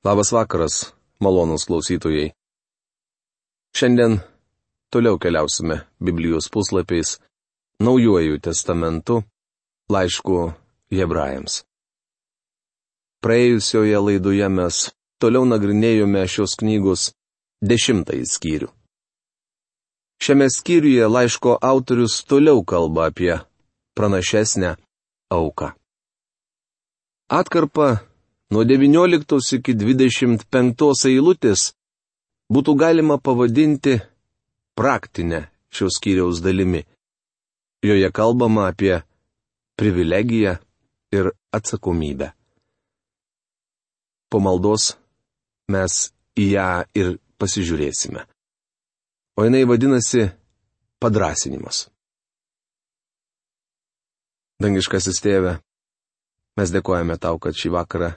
Labas vakaras, malonūs klausytojai. Šiandien toliau keliausime Biblijos puslapiais Naujuoju testamentu, laišku Hebrajams. Praėjusioje laidoje mes toliau nagrinėjome šios knygos 10 skyrių. Šiame skyriuje laiško autorius toliau kalba apie pranašesnę auką. Atkarpa nuo 19 iki 25 eilutės būtų galima pavadinti praktinę šios skyriaus dalimi. Joje kalbama apie privilegiją ir atsakomybę. Po maldos mes į ją ir pasižiūrėsime. O jinai vadinasi padrąsinimas. Dangiškasis Tėve, mes dėkojame Tau, kad šį vakarą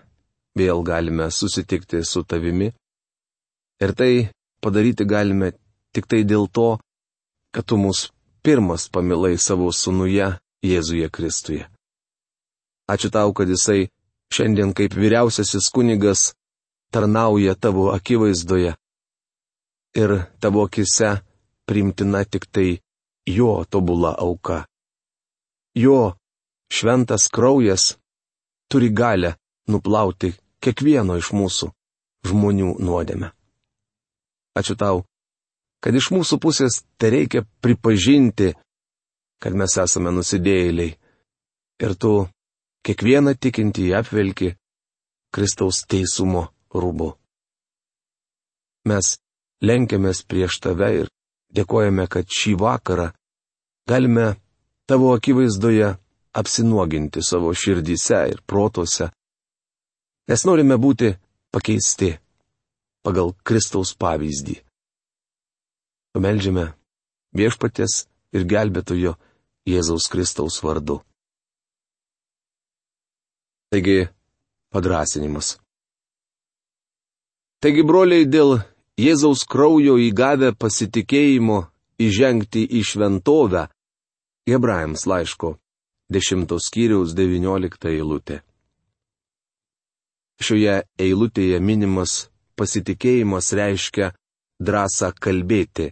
vėl galime susitikti su Tavimi. Ir tai padaryti galime tik tai dėl to, kad Tu mus pirmas pamilai savo Sūnuje Jėzuje Kristuje. Ačiū Tau, kad Jisai šiandien kaip vyriausiasis kunigas tarnauja Tavo akivaizdoje. Ir Tavo akise priimtina tik tai Jo tobula auka. Jo šventas kraujas turi galę nuplauti kiekvieno iš mūsų žmonių nuodėmę. Ačiū Tau, kad iš mūsų pusės tereikia pripažinti, kad mes esame nusidėjėliai. Ir Tu kiekvieną tikintį apvelki Kristaus teisumo rūbu. Mes lenkiamės prieš Tave ir dėkojame, kad šį vakarą galime Tavo akivaizdoje apsinuoginti savo širdyse ir protuose, nes norime būti pakeisti pagal Kristaus pavyzdį. Pameldžiame Viešpaties ir Gelbėtojo Jėzaus Kristaus vardu. Taigi, padrąsinimas. Taigi, broliai, dėl Jėzaus kraujo įgavę pasitikėjimo įžengti į šventovę, Hebrajams laiško 10 skyriaus 19 eilutė. Šioje eilutėje minimas pasitikėjimas reiškia drąsą kalbėti,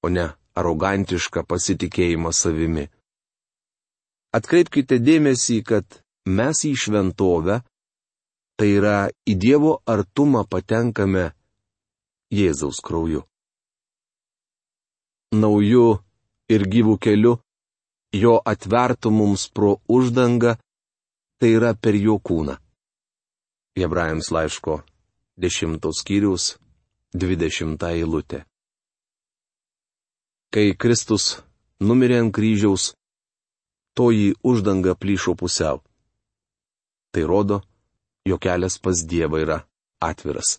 o ne arogantišką pasitikėjimą savimi. Atkreipkite dėmesį, kad mes į šventovę, tai yra į Dievo artumą patenkame Jėzaus krauju. Nauju ir gyvų keliu, jo atvertų mums pro uždangą, tai yra per jo kūną. Hebrajams laiško 10 skyriaus 20 eilutė. Kai Kristus numirė ant kryžiaus, toji uždanga plyšo pusiau. Tai rodo, jo kelias pas Dievą yra atviras.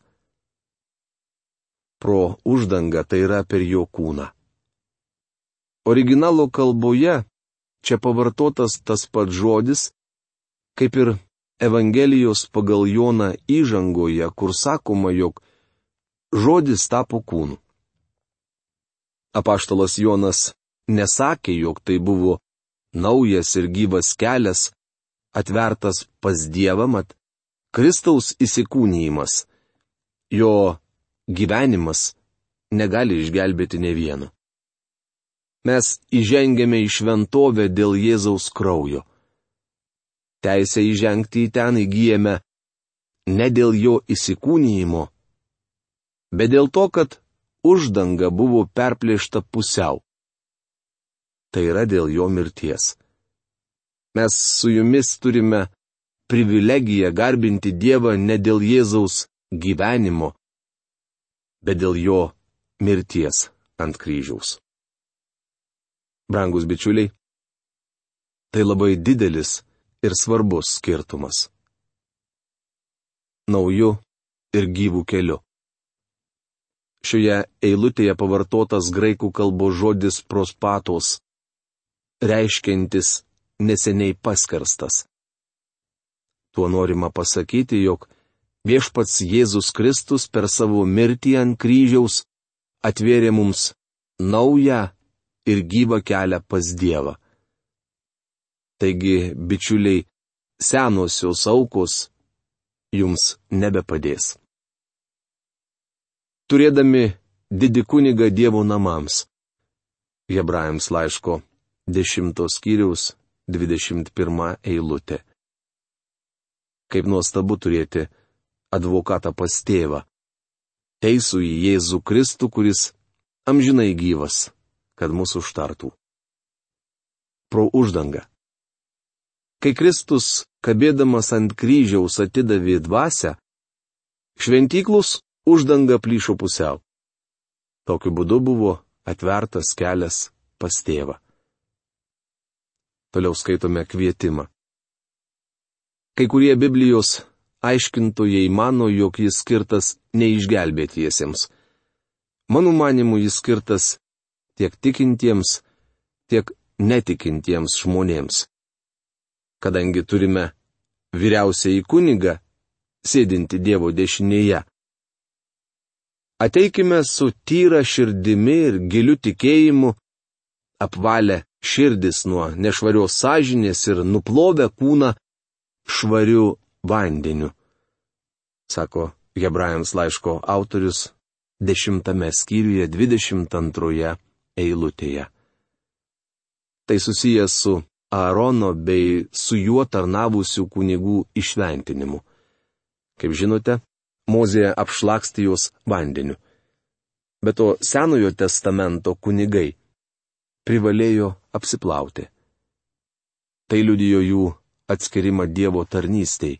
Pro uždangą tai yra per jo kūną. Originalo kalboje čia pavartotas tas pats žodis, kaip ir Evangelijos pagal Joną įžangoje, kur sakoma, jog žodis tapo kūnu. Apaštalas Jonas nesakė, jog tai buvo naujas ir gyvas kelias, atvertas pas Dievą, mat Kristaus įsikūnijimas, jo gyvenimas negali išgelbėti ne vieno. Mes įžengėme į šventovę dėl Jėzaus kraujo. Teisę įžengti į ten įgyjame ne dėl jo įsikūnijimo, bet dėl to, kad uždanga buvo perplėšta pusiau. Tai yra dėl jo mirties. Mes su jumis turime privilegiją garbinti Dievą ne dėl Jėzaus gyvenimo, bet dėl jo mirties ant kryžiaus. Brangus bičiuliai, tai labai didelis ir svarbus skirtumas. Nauju ir gyvų keliu. Šioje eilutėje pavartotas graikų kalbos žodis prospatos, reiškiantis neseniai paskarstas. Tuo norima pasakyti, jog Viešpats Jėzus Kristus per savo mirtį ant kryžiaus atvėrė mums naują ir gyvą kelią pas Dievą. Taigi, bičiuliai, senosios aukos jums nebepadės. Turėdami didį kunigą Dievo namams. Hebrajams laiško 10 skyriaus 21 eilutė. Kaip nuostabu turėti advokatą pas tėvą, teisų į Jėzų Kristų, kuris amžinai gyvas, kad mūsų užtartų. Pro uždangą. Kai Kristus, kabėdamas ant kryžiaus, atidavė dvasią, šventyklos uždanga plyšo pusiau. Tokiu būdu buvo atvertas kelias pas tėvą. Toliau skaitome kvietimą. Kai kurie Biblijos aiškintojai mano, jog jis skirtas neišgelbėtiesiems. Mano manimu, jis skirtas tiek tikintiems, tiek netikintiems žmonėms. Kadangi turime vyriausiąjį kunigą, sėdinti Dievo dešinėje. Ateikime su tyra širdimi ir giliu tikėjimu, apvalę širdis nuo nešvarios sąžinės ir nuplovę kūną švariu vandeniu, sako Hebrajams laiško autorius 10 skyriuje 22 eilutėje. Tai susijęs su Aarono bei su juo tarnavusių kunigų išventinimu. Kaip žinote, Mozė apšlakstė juos vandeniu. Be to, Senojo testamento kunigai privalėjo apsiplauti. Tai liudijo jų atskirimą Dievo tarnystei.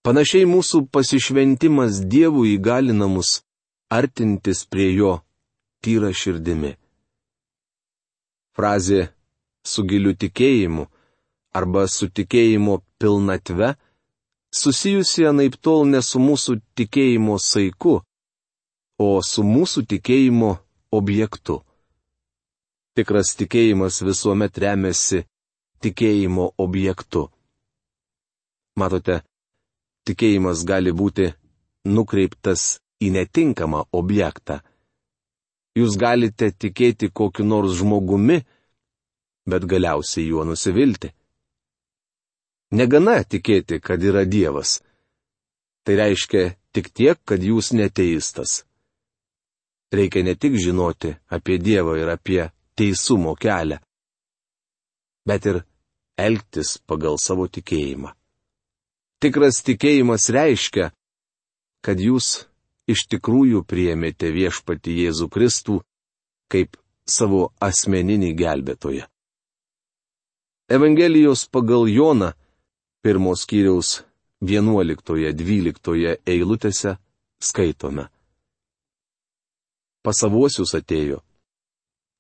Panašiai mūsų pasišventimas Dievui įgalina mus artintis prie jo tyra širdimi. Frazė su giliu tikėjimu arba su tikėjimo pilnatve susijusi anaiptol ne su mūsų tikėjimo saiku, o su mūsų tikėjimo objektu. Tikras tikėjimas visuomet remiasi tikėjimo objektu. Matote, tikėjimas gali būti nukreiptas į netinkamą objektą. Jūs galite tikėti kokiu nors žmogumi, bet galiausiai juo nusivilti. Negana tikėti, kad yra Dievas. Tai reiškia tik tiek, kad jūs neteistas. Reikia ne tik žinoti apie Dievą ir apie teisumo kelią, bet ir elgtis pagal savo tikėjimą. Tikras tikėjimas reiškia, kad jūs iš tikrųjų priėmėte viešpatį Jėzų Kristų kaip savo asmeninį gelbėtoją. Evangelijos pagal Joną 1 skyriaus 11-12 eilutėse skaitome. Pas savuosius atėjo,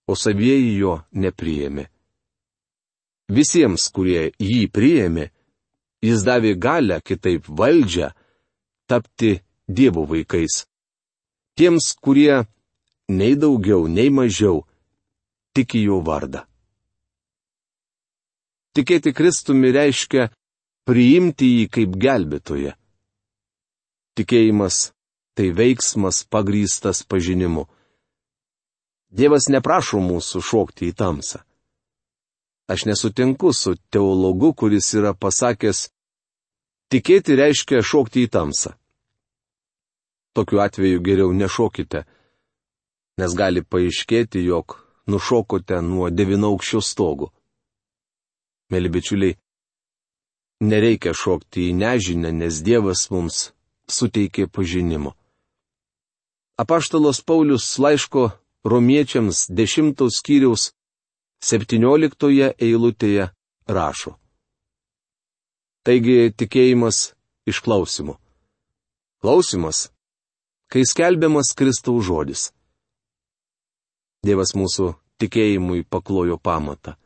o savieji jo nepriėmė. Visiems, kurie jį priėmė, jis davė galią, kitaip valdžią, tapti Dievo vaikais. Tiems, kurie nei daugiau, nei mažiau tiki jo vardą. Tikėti Kristumi reiškia priimti jį kaip gelbėtoją. Tikėjimas tai veiksmas pagrįstas pažinimu. Dievas neprašo mūsų šokti į tamsą. Aš nesutinku su teologu, kuris yra pasakęs, tikėti reiškia šokti į tamsą. Tokiu atveju geriau nešokite, nes gali paaiškėti, jog nušokote nuo 9-aukščio stogo. Mėly bičiuliai, nereikia šokti į nežinią, nes Dievas mums suteikė pažinimo. Apaštalas Paulius laiško Romiečiams 10 skyriaus 17 eilutėje rašo. Taigi tikėjimas iš klausimo. Klausimas, kai skelbiamas Kristaus žodis. Dievas mūsų tikėjimui paklojo pamatą.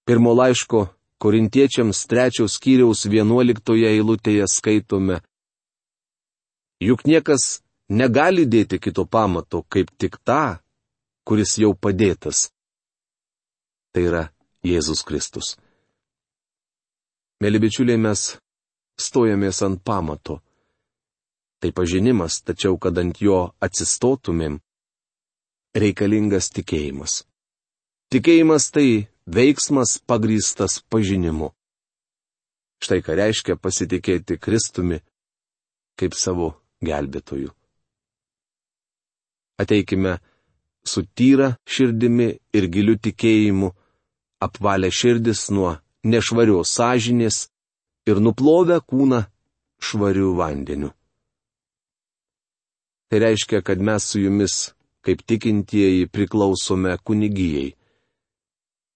Pirmo laiško Korintiečiams 3 skyriaus 11 eilutėje skaitome. Juk niekas negali dėti kito pamato, kaip tik tą, kuris jau padėtas. Tai yra Jėzus Kristus. Mėly bičiuliai, mes stojamės ant pamato. Tai pažinimas, tačiau kad ant jo atsistotumėm, reikalingas tikėjimas. Tikėjimas tai veiksmas pagrįstas pažinimu. Štai ką reiškia pasitikėti Kristumi kaip savo gelbėtoju. Ateikime su tyra širdimi ir giliu tikėjimu, apvalę širdis nuo nešvarios sąžinės ir nuplovę kūną švariu vandeniu. Tai reiškia, kad mes su jumis, kaip tikintieji, priklausome kunigijai.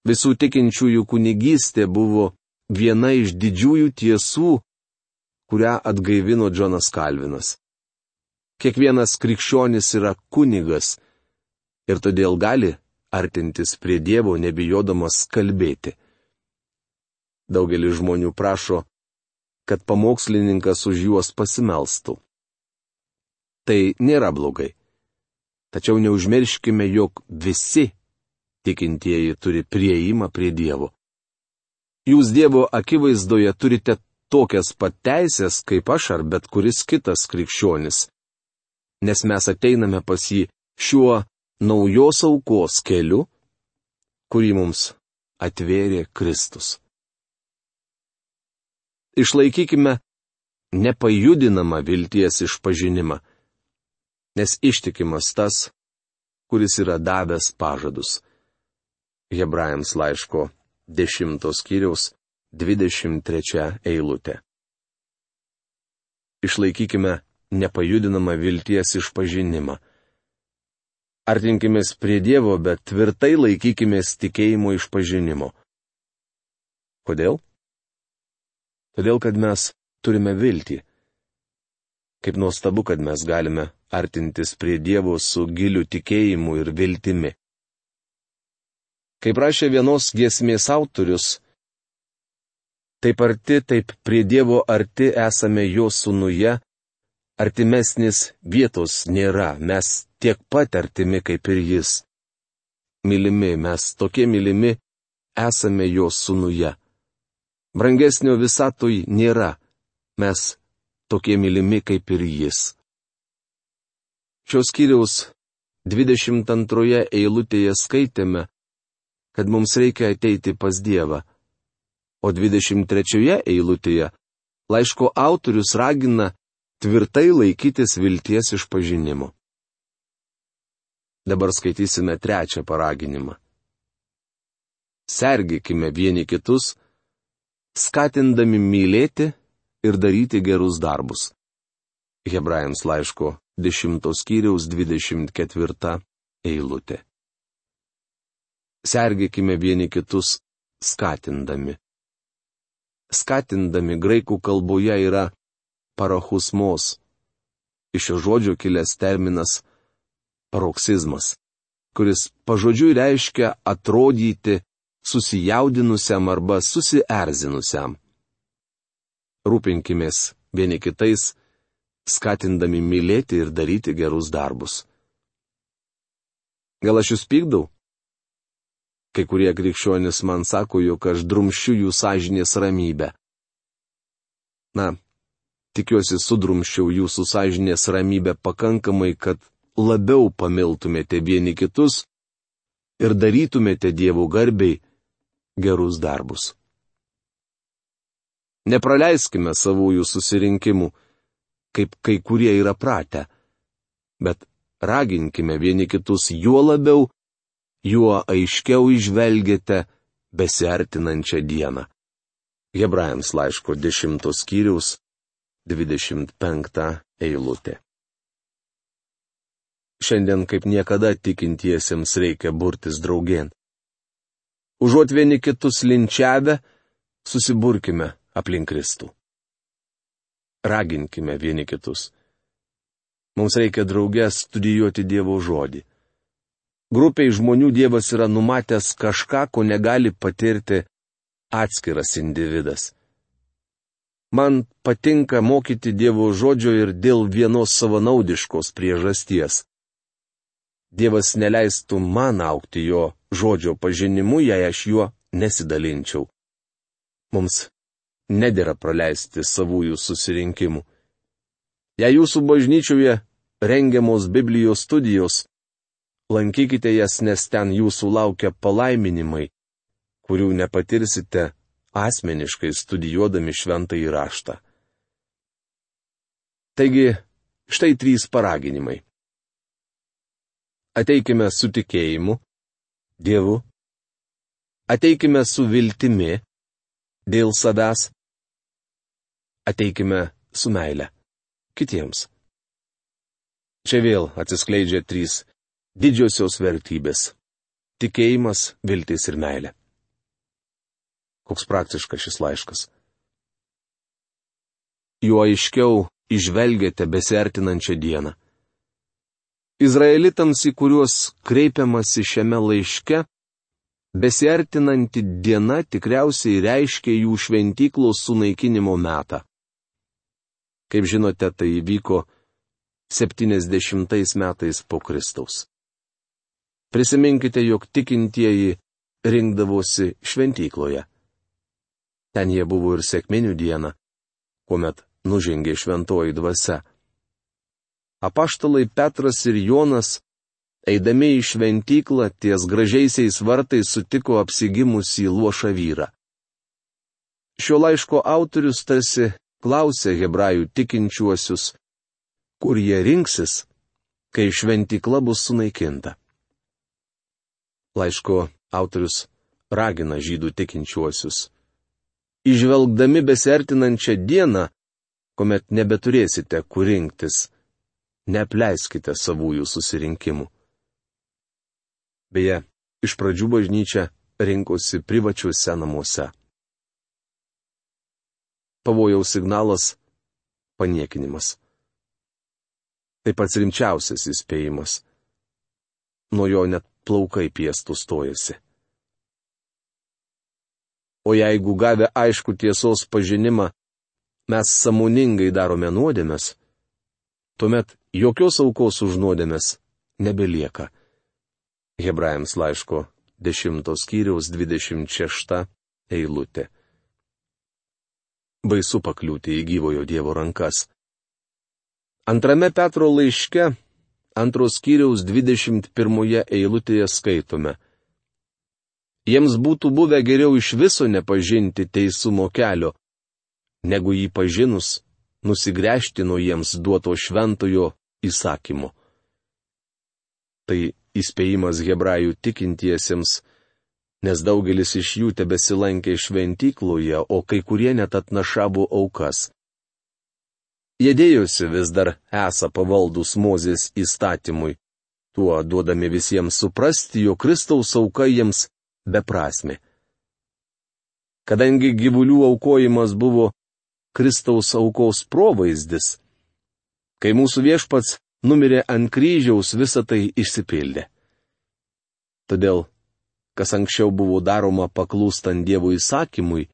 Visų tikinčiųjų kunigystė buvo viena iš didžiųjų tiesų, kurią atgaivino Džonas Kalvinas. Kiekvienas krikščionis yra kunigas ir todėl gali artintis prie Dievo nebijodamas kalbėti. Daugelis žmonių prašo, kad pamokslininkas už juos pasimelstų. Tai nėra blogai. Tačiau neužmirškime, jog visi tikintieji turi priėjimą prie Dievo. Jūs Dievo akivaizdoje turite tokias pat teisės, kaip aš ar bet kuris kitas krikščionis, nes mes ateiname pas jį šiuo naujos aukos keliu, kurį mums atvėrė Kristus. Išlaikykime nepajudinamą vilties išpažinimą, nes ištikimas tas, kuris yra davęs pažadus. Hebrajams laiško 10 skyriaus 23 eilutė. Išlaikykime nepajudinamą vilties išpažinimą. Artinkimės prie Dievo, bet tvirtai laikykimės tikėjimo išpažinimo. Kodėl? Todėl, kad mes turime viltį. Kaip nuostabu, kad mes galime artintis prie Dievo su giliu tikėjimu ir viltimi. Kaip rašė vienos giesmės autorius, taip arti, taip prie Dievo arti esame jo sūnuje, artimesnis vietos nėra, mes tiek pat artimi kaip ir jis. Mylimi, mes tokie mylimi esame jo sūnuje. Brangesnio visatoj nėra, mes tokie mylimi kaip ir jis. Šios skyriaus 22 eilutėje skaitėme, kad mums reikia ateiti pas Dievą, o 23 eilutėje laiško autorius ragina tvirtai laikytis vilties išpažinimo. Dabar skaitysime 3 paraginimą. Sergėkime vieni kitus, skatindami mylėti ir daryti gerus darbus. Hebrajams laiško 10 skyriaus 24 eilutė. Sergėkime vieni kitus skatindami. Skatindami graikų kalboje yra parachusmos. Iš šio žodžio kilęs terminas paroksizmas, kuris pažodžiui reiškia atrodyti susijaudinusiam arba susierzinusiam. Rūpinkimės vieni kitais, skatindami mylėti ir daryti gerus darbus. Gal aš jūs pykdau? Kai kurie krikščionys man sako, jog aš drumsčiu jų sąžinės ramybę. Na, tikiuosi sudrumsčiau jūsų sąžinės ramybę pakankamai, kad labiau pamiltumėte vieni kitus ir darytumėte Dievo garbei gerus darbus. Nepraleiskime savųjų susirinkimų, kaip kai kurie yra pratę, bet raginkime vieni kitus juo labiau, juo aiškiau įžvelgiate besiartinančią dieną. Hebrajams laiško 10 skyriaus 25 eilutė. Šiandien kaip niekada tikintiesiems reikia burtis draugėn. Užuot vieni kitus linčiavę, susiburkime aplink Kristų. Raginkime vieni kitus. Mums reikia drauge studijuoti Dievo žodį. Grupiai žmonių Dievas yra numatęs kažką, ko negali patirti atskiras individas. Man patinka mokyti Dievo žodžio ir dėl vienos savanaudiškos priežasties. Dievas neleistų man augti jo žodžio pažinimu, jei aš juo nesidalinčiau. Mums nedera praleisti savųjų susirinkimų. Jei jūsų bažnyčioje rengiamos Biblijos studijos, lankykite jas, nes ten jūsų laukia palaiminimai, kurių nepatirsite asmeniškai studijuodami šventąjį raštą. Taigi, štai 3 paraginimai. Ateikime su tikėjimu, Dievu. Ateikime su viltimi, dėl savęs. Ateikime su meile, kitiems. Čia vėl atsiskleidžia 3 didžiosios vertybės - tikėjimas, viltis ir meilė. Koks praktiškas šis laiškas. Juo aiškiau įžvelgiate besiartinančią dieną. Izraelitams, į kuriuos kreipiamasi šiame laiške, besiartinanti diena tikriausiai reiškia jų šventyklos sunaikinimo metą. Kaip žinote, tai įvyko 70 metais po Kristaus. Prisiminkite, jog tikintieji rinkdavosi šventykloje. Ten jie buvo ir sekminių dieną, kuomet nužengė šventoji dvasia. Apaštalai Petras ir Jonas, eidami į šventyklą ties gražiaisiais vartais, sutiko apsigimusį luošą vyrą. Šio laiško autorius tarsi klausė hebrajų tikinčiuosius, kur jie rinksis, kai šventykla bus sunaikinta. Laiško autorius ragina žydų tikinčiuosius: įžvelgdami besiartinančią dieną, kuomet nebeturėsite kur rinktis, neapleiskite savųjų susirinkimų. Beje, iš pradžių bažnyčia rinkosi privačiuose namuose. Pavojaus signalas - paniekinimas. Tai pats rimčiausias įspėjimas. Nuo jo net plaukai piestų stojasi. O jeigu gavę aišku tiesos pažinimą, mes sąmoningai darome nuodėmes, tuomet jokios aukos už nuodėmes nebelieka. Hebrajams laiško 10 skyriaus 26 eilutė. Baisu pakliūti į gyvojo Dievo rankas. 2 Petro laiške 2 skyriaus 21 eilutėje skaitome: Jiems būtų buvę geriau iš viso nepažinti teisumo kelio, negu jį pažinus nusigręžti nuo jiems duoto šventojo įsakymo. Tai įspėjimas hebrajų tikintiesiems, nes daugelis iš jų tebesilankė šventykloje, o kai kurie net atnašavo aukas. Jie dėjosi vis dar esą pavaldus Mozės įstatymui, tuo duodami visiems suprasti, jog Kristaus auka jiems beprasmė. Kadangi gyvulių aukojimas buvo Kristaus aukos provaizdis, kai mūsų viešpats numirė ant kryžiaus, visa tai išsipildė. Todėl, kas anksčiau buvo daroma paklūstant Dievo įsakymui,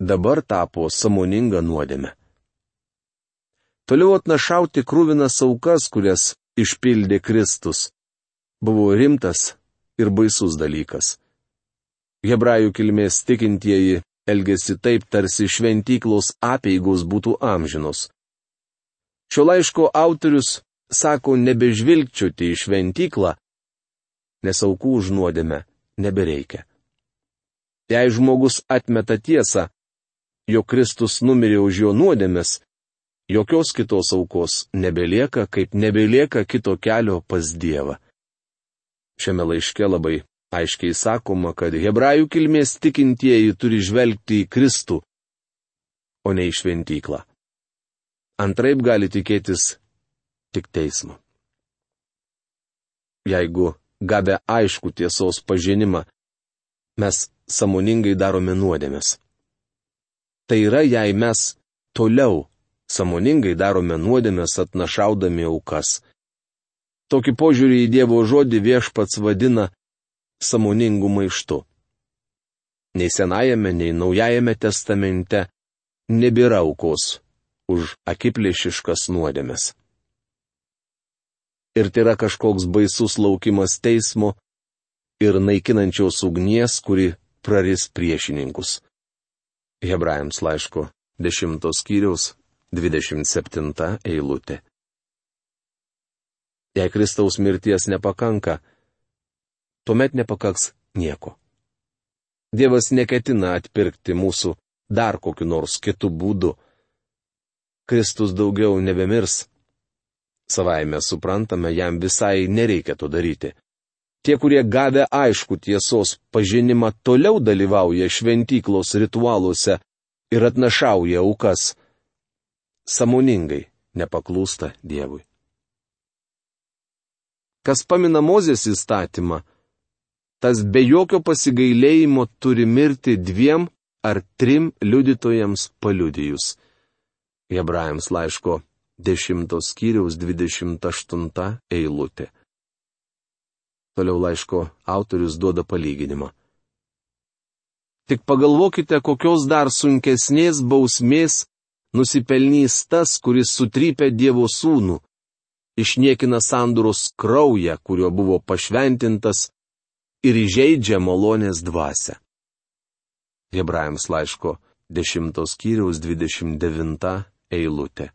dabar tapo sąmoninga nuodėme. Toliau atnašauti krūvinas aukas, kurias išpildė Kristus, buvo rimtas ir baisus dalykas. Hebrajų kilmės tikintieji elgėsi taip, tarsi šventyklos apeigos būtų amžinos. Šio laiško autorius sako nebežvilgčioti į šventyklą, nes aukų už nuodėmę nebereikia. Jei žmogus atmeta tiesą, jog Kristus numirė už jo nuodėmes, jokios kitos aukos nebelieka, kaip nebelieka kito kelio pas Dievą. Šiame laiške labai aiškiai sakoma, kad hebrajų kilmės tikintieji turi žvelgti į Kristų, o ne į šventyklą. Antraip gali tikėtis tik teismo. Jeigu gavę aišku tiesos pažinimą, mes sąmoningai darome nuodėmes. Tai yra, jei mes toliau sąmoningai darome nuodėmes atnašaudami aukas. Tokį požiūrį į Dievo žodį Viešpats vadina sąmoningų maištu. Nei Senajame, nei Naujajame testamente nebėra aukos už akiplėšiškas nuodėmes. Ir tai yra kažkoks baisus laukimas teismo ir naikinančios ugnies, kuri praris priešininkus. Hebrajams laiško 10 skyriaus 27 eilutė. Jei Kristaus mirties nepakanka, tuomet nepakaks nieko. Dievas neketina atpirkti mūsų dar kokiu nors kitu būdu. Kristus daugiau nebemirs. Savaime suprantame, jam visai nereikia to daryti. Tie, kurie gavę aišku tiesos pažinimą, toliau dalyvauja šventyklos ritualuose ir atnašauja aukas. Sąmoningai nepaklūsta Dievui. Kas pamina Mozės įstatymą, tas be jokio pasigailėjimo turi mirti 2 ar 3 liudytojams paliudijus. Hebrajams laiško 10 skyriaus 28 eilutė. Toliau laiško autorius duoda palyginimą. Tik pagalvokite, kokios dar sunkesnės bausmės nusipelnys tas, kuris sutrypia Dievo sūnų, išniekina sandoros kraują, kuriuo buvo pašventintas, ir įžeidžia malonės dvasią. Hebrajams laiško 10 skyriaus 29 eilutė.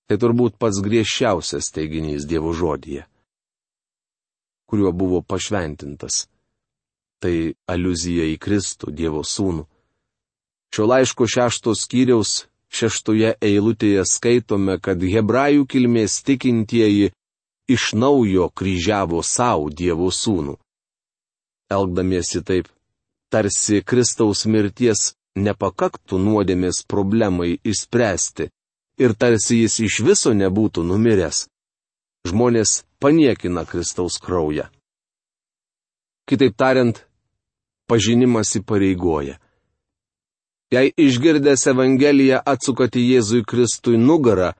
Tai turbūt pats griežčiausias teiginys Dievo žodyje, kuriuo buvo pašventintas. Tai aliuzija į Kristų, Dievo sūnų. Šio laiško 6 skyriaus 6 eilutėje skaitome, kad hebrajų kilmės tikintieji iš naujo kryžiavo savo Dievo sūnų. Elgdamiesi taip, tarsi Kristaus mirties nepakaktų nuodėmės problemai išspręsti ir tarsi jis iš viso nebūtų numiręs. Žmonės paniekina Kristaus kraują. Kitaip tariant, pažinimas įpareigoja. Jei išgirdęs Evangeliją atsukate Jėzui Kristui nugarą,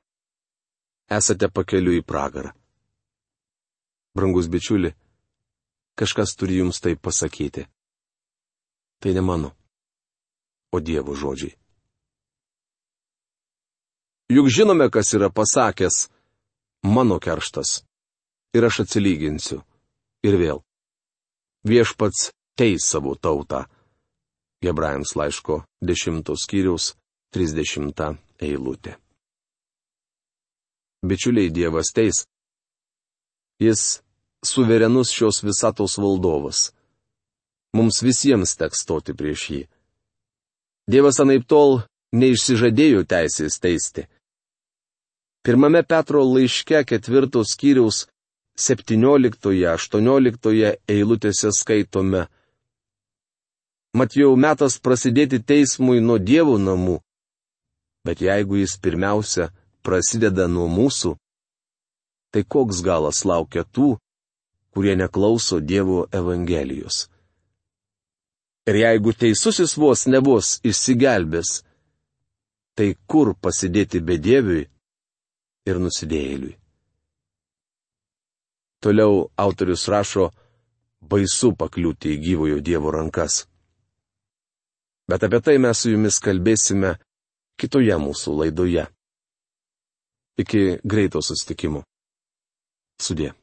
esate pakeliui į pragarą. Brangus bičiuli, kažkas turi jums tai pasakyti. Tai ne mano, o Dievo žodžiai. Juk žinome, kas yra pasakęs: mano kerštas, ir aš atsilyginsiu. Ir vėl. Viešpats teis savo tautą. Hebrajams laiško 10 skyriaus 30 eilutė. Bičiuliai, Dievas teis. Jis suverenus šios visatos valdovas. Mums visiems teks stoti prieš jį. Dievas anaiptol neišsižadėjo teisės teisti. 1 Petro laiške 4 skyriaus 17-18 eilutėse skaitome: Mat jau metas prasidėti teismui nuo Dievo namų, bet jeigu jis pirmiausia prasideda nuo mūsų, tai koks galas laukia tų, kurie neklauso Dievo Evangelijos. Ir jeigu teisusis vos nebus išsigelbės, tai kur pasidėti bedieviui ir nusidėjėliui? Toliau autorius rašo: baisu pakliūti į gyvojo Dievo rankas. Bet apie tai mes su jumis kalbėsime kitoje mūsų laidoje. Iki greito susitikimo. Sudie.